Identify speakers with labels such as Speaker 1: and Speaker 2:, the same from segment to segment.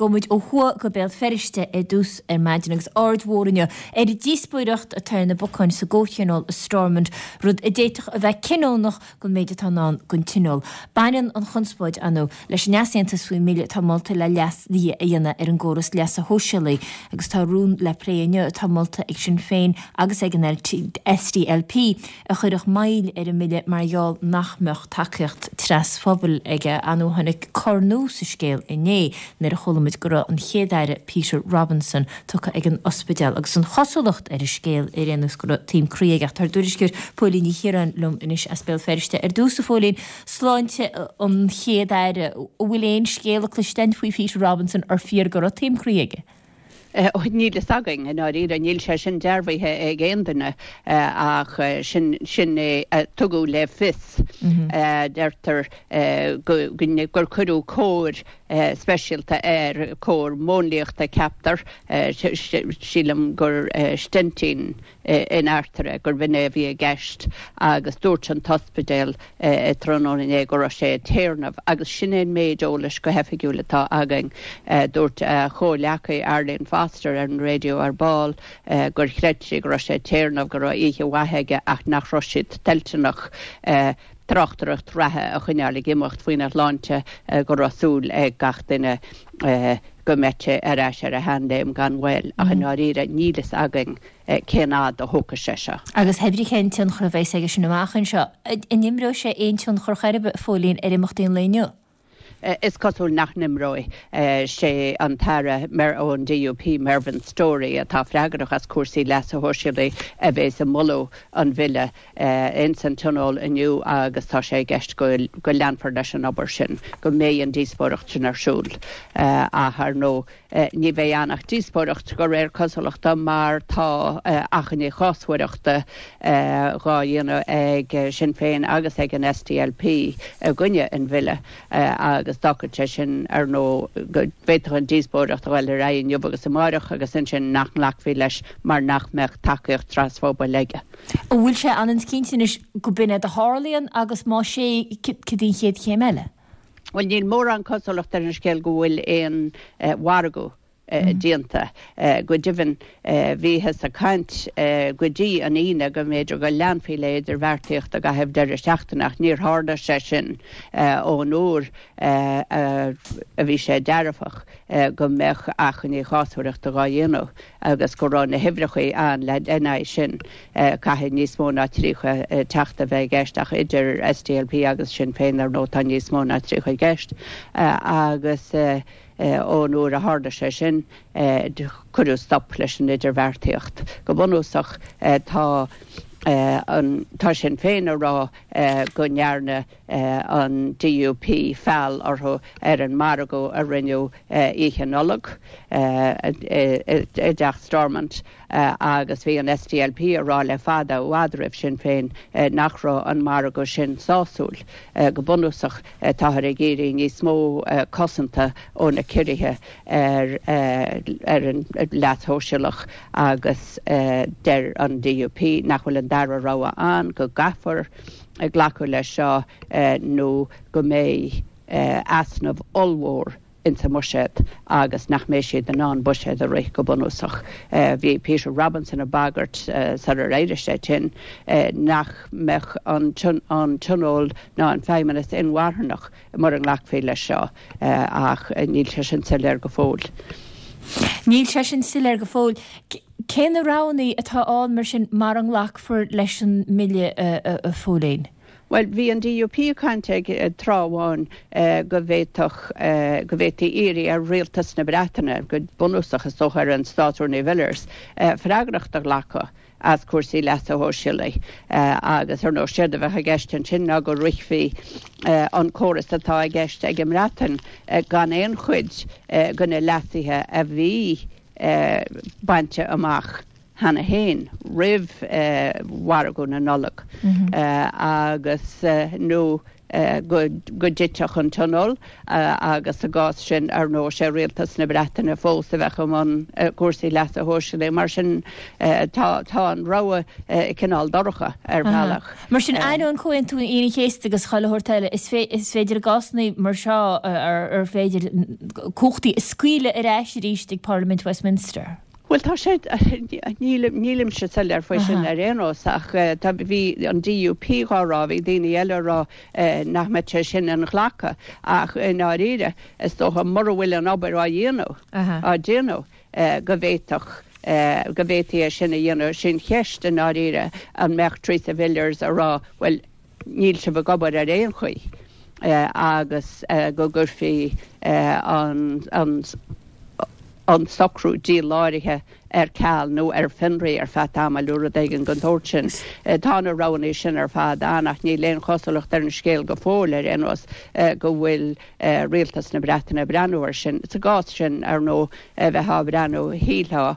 Speaker 1: Gabhfaidh muid ó thuaidh go Béal Feirste ar dtús ar maidin agus aird mhór inniu ar an díospóireacht atá ar na bacáin sa gcomhthionól i Stormont, rud a d'fhéadfadh a bheith cinniúnach don méid atá i ndán don Tionól. Baineann an chonspóid, ar ndóigh, leis an easaontas faoin mbille atá molta le leasuithe a dhéanamh ar an gcóras leasa shóisialaigh agus tá rún le plé inniu atá molta ag Sinn Féin agus ag an SDLP a chuirfeadh moill ar an mbille mar gheall nach mbeadh tacaíocht trasphobail aige. Ar ndóigh tháinig cor nua sa scéal inné nuair a chuala muid go raibh an Chéad-Aire Peter Robinson tugtha ag an ospidéal agus an chosúlacht ar an scéal ar aon nós go raibh taom croí aige. Ach tá ár dtuairisceoir Póilín Ní Chiaráin liom anois as Béal Feirste. Ar dtús, a Phóilín, sláinte an Chéad-Aire, an bhfuil aon scéala cloiste againn faoi Peter Robinson ar fíor go raibh taom croí aige?
Speaker 2: Níl fhios againn, i ndáiríre. Níl sé sin dearbhaithe ag aon duine ach sin sin é a tugadh le fios. Deirtear gur cuireadh cóir speisialta air, cóir mhúnlaíochta ceaptar, sílim gur steintín in artaire, gurb in é a bhí i gceist agus dúirt an t-ospidéal tráthnóna inné go raibh sé ag téarnamh agus sin é an méid eolais go hoifigiúil atá againn. Dúirt a chomhghleacaí Arlene Foster ar an raidió ar ball gur chreid sí go raibh sé ag téarnamh, go raibh oíche mhaith aige ach nach raibh siad toilteanach tráchtaireacht reatha a choinneáil ag imeacht faoina shláinte, go raibh súil ag gach duine go mbeadh sé ar ais ar a sheanléim gan mhoill, ach i ndáiríre níl fhios againn cén fhad a thógfaidh sé seo.
Speaker 1: Agus hé brí cén tionchar a bheas aige sin amach anseo, an imreoidh sé aon tionchar chor ar bith, a Phóilín, ar imeachtaí an lae inniu?
Speaker 2: Is cosúil nach n-imreoidh. Sé an tAire ón DUP, Mervyn Storey, atá freagrach as cúrsaí leasa shóisialaigh a bheas ag moladh an bhille ins an Tionól inniu agus tá sé i gceist go leanfar leis an obair sin, go mbeidh an díospóireacht sin ar siúl. Ach ar ndóigh, Ní bheidh ann ach díospóireacht, de réir cosúlachta, mar tá achainí chásmhaireachta dhá dhéanamh ag Sinn Féin agus ag an SDLP i gcoinne an bhille agus d'fhágfadh sé sin, ar ndóigh, go bhféadfadh an díospóireacht a dhul ar aghaidh inniu agus amáireach agus ansin nach nglacfaí leis mar nach mbeadh tacaíocht trasphobail aige.
Speaker 1: An bhfuil sé ionann is cinnte anois go b'in é a tharlaíonn agus más ea, cad í an chéad chéim eile?
Speaker 2: Bhuel, níl mórán cosúlacht ar an scéal go bhfuil aon mhargadh déanta. Go deimhin, bhíothas ag caint go dtí an Aoine go mb'fhéidir go leanfaí le idirbheartaíocht i gcaitheamh deireadh seachtaine ach níor tharla sé sin ón uair a bhí sé dearfach go mbeadh achainí chásmhaireachta dhá dhéanamh. agus go raibh na huimhreacha ann le ina aghaidh sin. Caithfidh níos mó ná 30 teachta a bheith i gceist ach idir SDLP agus Sinn Féin ar ndóigh tá níos mó ná 30 i gceist agus ón uair a tharla sé sin cuireadh stop leis an idirbheartaíocht. Go bunúsach tá an tá Sinn Féin ag rá go ndearna an DUP feall orthu ar an margadh a rinneadh Oíche Nollag i dTeach Stormont agus bhí an SDLP ag rá le fada, i bhfad roimh Sinn Féin, nach raibh an margadh sin sásúil. Go bunúsach, táthar ag iarraidh níos mó cosanta ó na ciorruithe ar an leas shóisialach agus deir an DUP nach bhfuil an dara rogha ann, go gcaithfear glacadh leis seo nó go mbeidh easnamh ollmhór ins an mbuiséad agus nach mbeidh siad in ann buiséad a rith go bunúsach. Bhí Peter Robinson ag bagairt sular éirigh sé tinn nach mbeadh an Tionól ná an Feidhmeannas inmharthanach mura nglacfaí leis seo ach níl sé sin soiléir go fóill.
Speaker 1: Níl sé sin soiléir go fóill. Cé na roghanna atá ann mar sin mara nglacfar leis an mbille, a Phóilín?
Speaker 2: Bhuel, bhí an DUP ag caint ag tráth amháin go bhféadfadh, go bhféadfaí iarraidh ar rialtas na Breataine, go bunúsach is dócha ar an Státrúnaí Villiers, freagracht a ghlacadh as cúrsaí leasa shóisialaigh agus ar ndóigh séard a bheadh i gceist ansin ná go rithfí an córas atá i gceist ag an mBreatain gan aon chuid de na leasuithe a bhí bainte amach cheana féin roimh mhargadh na Nollag agus nó. go dtitfeadh an Tionól agus sa gcás sin, ar ndóigh, sé Rialtas na Breataine fós a bheadh i mbun cúrsaí leasa shóisialaigh. Mar sin, tá an rogha cineál dorcha ar bhealach.
Speaker 1: Mar sin, ainneoin Chomhaontú Aoine an Chéasta agus chuile shórt eile, is féidir i gcásanna mar seo ar féidir cumhachtaí a scaoileadh ar ais arís ag Parlaimint Westminster.
Speaker 2: Bhuel, tá sé, nílimse soiléir faoi sin ar aon nós, ach tá, bhí an DUP dhá rá, bhí daoine eile ag rá nach mbeadh sé sin inghlactha, ach i ndáiríre, is dócha, mura bhfuil an obair á dhéanamh, á déanamh, go bhféadfadh, go bhféadfaí é sin a dhéanamh. Sin cheist i ndáiríre, an mbeadh Theresa Villiers ag rá, bhuel, níl sibh ag obair ar aon chaoi agus go gcuirfí an an socrú díláraithe ar ceal nó ar fionraí ar feadh tamaill nó rud éigin den tsórt sin. Tá na roghanna sin ar fad ann ach níl aon chosúlacht ar an scéal go fóill ar aon nós go bhfuil Rialtas na Breataine ag breathnú air sin. Sa gcás sin, ar ndóigh, bheifeá ag breathnú, shílfeá,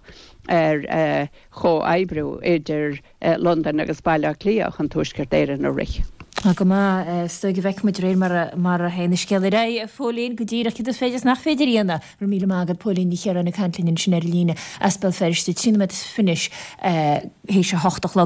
Speaker 2: ar chomhoibriú idir Londain agus Baile Átha Cliath chun Tuaisceart Éireann a rith.
Speaker 1: Tá go maith. Is dóigh go bhfeicfidh muid de réir mar a théann an scéal ar aghaidh, a Phóilín, go díreach céard is féidir is nach féidir a dhéanamh. Go raibh míle maith agat, Póilín Ní Chiaráin ag caint linn ansin ar an líne as Béal Feirste, 13 nóiméad is fiche théis a hocht a chlog.